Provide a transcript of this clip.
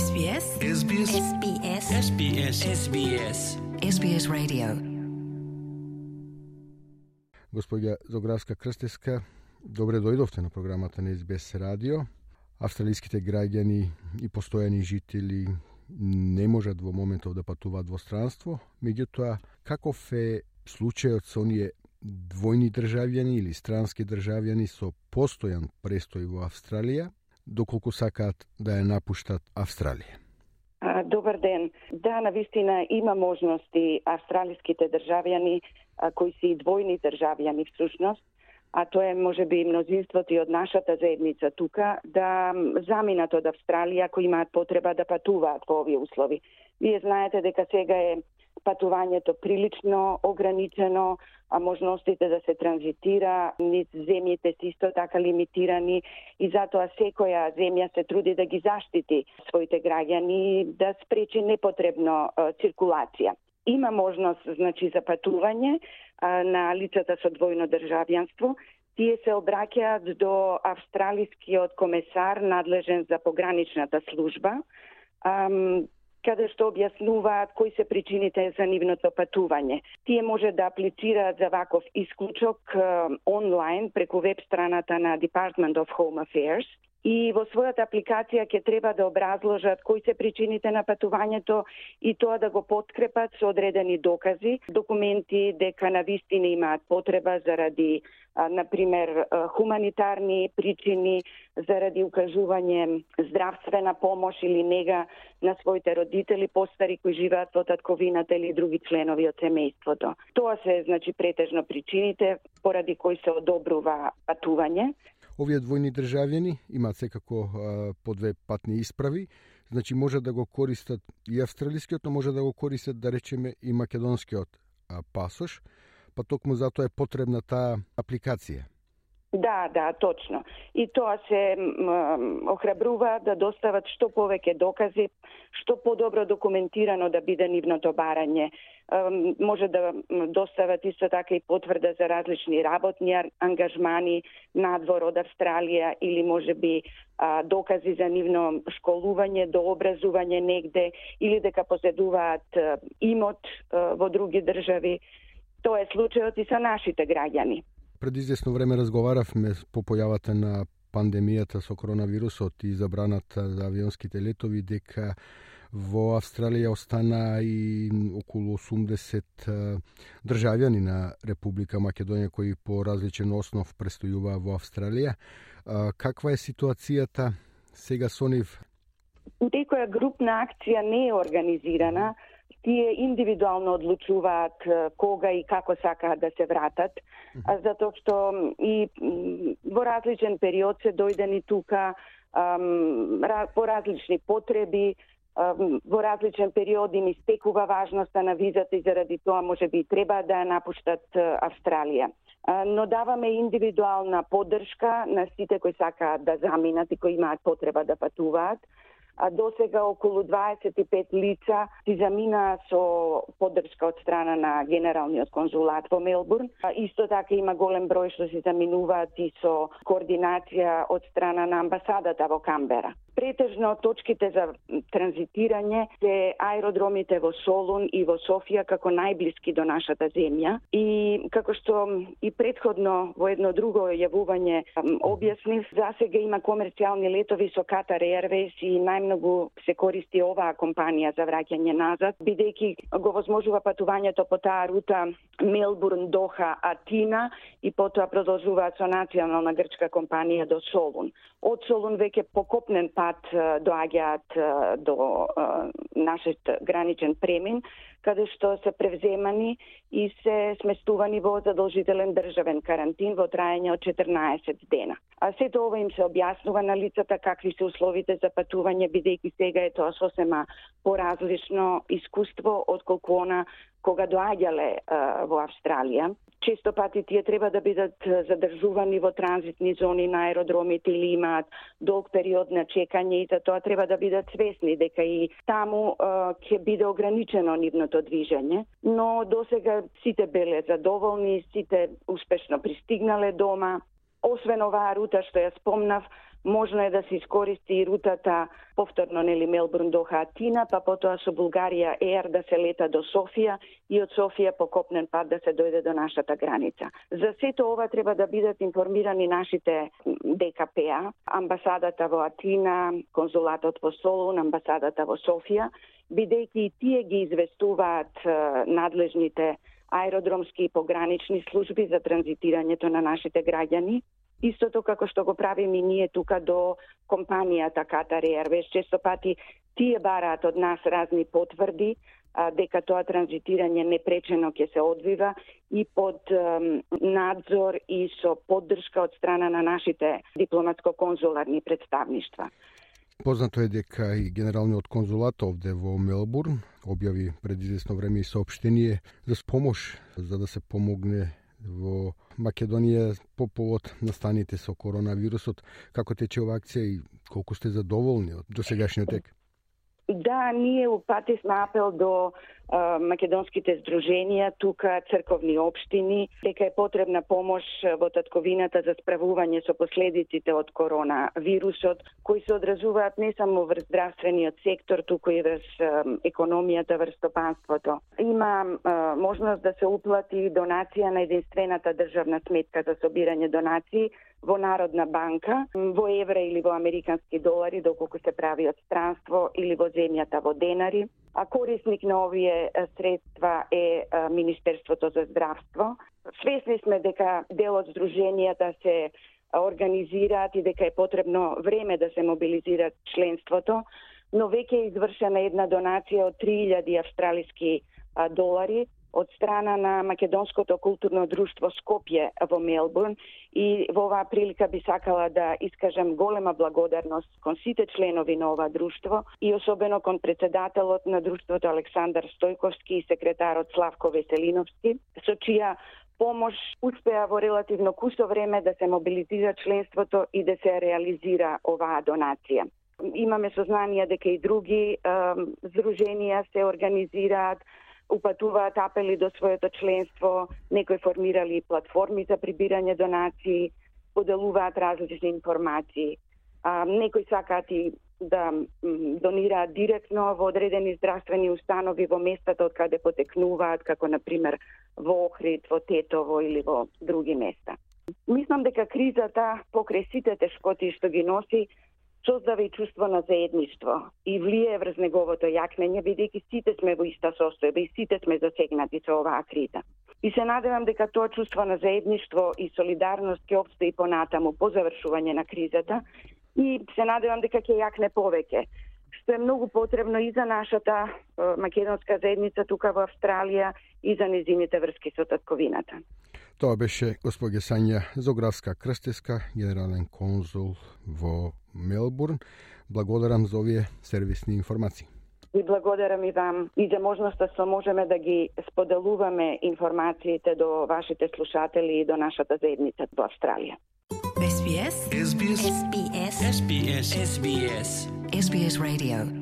SBS SBS SBS SBS SBS SBS Radio. Господја Зографска Крстеска, добре дојдовте на програмата на SBS радио. Австралиските граѓани и постојани жители не можат во моментов да патуваат во странство, меѓутоа каков е случајот со оние двојни државјани или странски државјани со постојан престој во Австралија, доколку сакаат да ја напуштат Австралија? Добар ден. Да, навистина има можности австралиските државјани кои се и двојни државјани всушност, а тоа е можеби мнозинството и од нашата заедница тука, да заминат од Австралија ако имаат потреба да патуваат во овие услови. Вие знаете дека сега е патувањето прилично ограничено, а можностите да се транзитира низ земјите се исто така лимитирани и затоа секоја земја се труди да ги заштити своите граѓани, да спречи непотребно циркулација. Има можност, значи, за патување на лицата со двојно државјанство. Тие се обраќаат до австралискиот комесар надлежен за пограничната служба, каде што објаснуваат кои се причините за нивното патување. Тие може да аплицираат за ваков исклучок онлайн преку веб страната на Department of Home Affairs и во својата апликација ќе треба да образложат кои се причините на патувањето и тоа да го подкрепат со одредени докази, документи дека навистина имаат потреба заради, например, хуманитарни причини, заради укажување здравствена помош или нега на своите родители, постари кои живеат во татковината или други членови од семејството. Тоа се, значи, претежно причините поради кои се одобрува патување. Овие двојни државјани имаат секако по две патни исправи, значи може да го користат и австралискиот, но може да го користат, да речеме, и македонскиот пасош, па токму затоа е потребна таа апликација. Да, точно. И тоа се охрабрува да достават што повеќе докази, што подобро документирано да биде нивното барање. Може да достават исто така и потврда за различни работни ангажмани надвор од Австралија или можеби докази за нивно школување, дообразување негде или дека поседуваат имот во други држави. Тоа е случајот и со нашите граѓани. Пред известно време разговаравме по појавата на пандемијата со коронавирусот и забраната за авионските летови, дека во Австралија остана и околу 80 државјани на Република Македонија кои по различен основ престојуваа во Австралија. Каква е ситуацијата сега со нив? Некоја групна акција не е организирана. Тие индивидуално одлучуваат кога и како сакаат да се вратат, затоа што и во различен период се дојдени тука по различни потреби, во различен период им истекува важноста на визата и заради тоа можеби треба да ја напуштат Австралија. Но даваме индивидуална поддршка на сите кои сакаат да заминат и кои имаат потреба да патуваат. До сега околу 25 лица си замина со поддршка од страна на Генералниот конзулат во Мелбурн. Исто така има голем број што се заминуваат и со координација од страна на амбасадата во Камбера. Претежно точките за транзитирање се аеродромите во Солун и во Софија како најблиски до нашата земја. И како што и претходно во едно друго јавување објаснив, засега има комерцијални летови со Qatar Airways и најмногу се користи оваа компанија за враќање назад, бидејќи го возможува патувањето по таа рута Мелбурн, Доха, Атина и потоа продолжуваат со национална грчка компанија до Солун. Од Солун веќе по копнен пат доаѓаат до нашиот граничен премин, каде што се превземани и се сместувани во задолжителен државен карантин во траење од 14 дена. А сето ова им се објаснува на лицата какви се условите за патување, бидејќи сега е тоа сосема поразлично искуство отколку она кога доаѓале во Австралија. Често пати тие треба да бидат задржувани во транзитни зони на аеродромите или имаат долг период на чекање и за тоа треба да бидат свесни дека и таму ќе биде ограничено нивното движење. Но досега сите беле задоволни, сите успешно пристигнале дома. Освен оваа рута што ја спомнав, Можно е да се искористи и рутата повторно Мелбурн до Атина, па потоа со Булгарија Ер да се лета до Софија и од Софија по копнен пат да се дојде до нашата граница. За сето ова треба да бидат информирани нашите ДКП-а, амбасадата во Атина, конзулатот во Солун, амбасадата во Софија, бидејќи и тие ги известуваат надлежните аеродромски и погранични служби за транзитирањето на нашите граѓани. Истото како што го правиме и ние тука до компанијата Катар Airways, често пати тие бараат од нас разни потврди дека тоа транзитирање непречено ќе се одвива и под надзор и со поддршка од страна на нашите дипломатско-конзуларни представништва. Познато е дека и генералниот конзулат овде во Мелбурн објави пред известно време и соопштение за помош за да се помогне во Македонија по повод настаните со коронавирусот. Како тече ова акција и колку сте задоволни од досегашниот тек? Да, ние упативме апел до македонските здруженија, тука црковни општини, дека е потребна помош во татковината за справување со последиците од коронавирусот, кои се одразуваат не само врз здравствениот сектор, туку и врз економијата, врз стопанството. Има можност да се уплати донација на единствената државна сметка за собирање донации во Народна банка, во евра или во американски долари, доколку се прави од странство, или во земјата во денари. А корисник на овие средства е Министерството за здравство. Свесни сме дека дел од здруженијата се организираат и дека е потребно време да се мобилизираат членството, но веќе е извршена една донација од 3000 австралиски долари од страна на Македонското културно друштво Скопје во Мелбурн и во оваа прилика би сакала да искажам голема благодарност кон сите членови на ова друштво и особено кон председателот на друштвото Александар Стојковски и секретарот Славко Веселиновски, со чија помош успеа во релативно кусо време да се мобилизира членството и да се реализира оваа донација. Имаме сознание дека и други здруженија се организираат, упатуваат апели до своето членство, некои формирали платформи за прибирање донации, поделуваат различни информации. Некои сакаат и да донираат директно во одредени здравствени установи во местата од каде потекнуваат, како например во Охрид, во Тетово или во други места. Мислам дека кризата покрај сите тешкоти што ги носи создава и чувство на заедништво и влие врз неговото јакнење, бидејќи сите сме во иста состојба и сите сме засегнати со оваа криза. И се надевам дека тоа чувство на заедништво и солидарност ќе опстои понатаму по завршување на кризата и се надевам дека ќе јакне повеќе, што е многу потребно и за нашата македонска заедница тука во Австралија и за незините врски со татковината. Тоа беше госпоѓа Сања Зографска Крстеска, генерален конзул во Мелбурн. Благодарам за овие сервисни информации. И благодарам и вам и за можноста што можеме да ги споделуваме информациите до вашите слушатели и до нашата заедница во Австралија. SBS SBS SBS SBS SBS Radio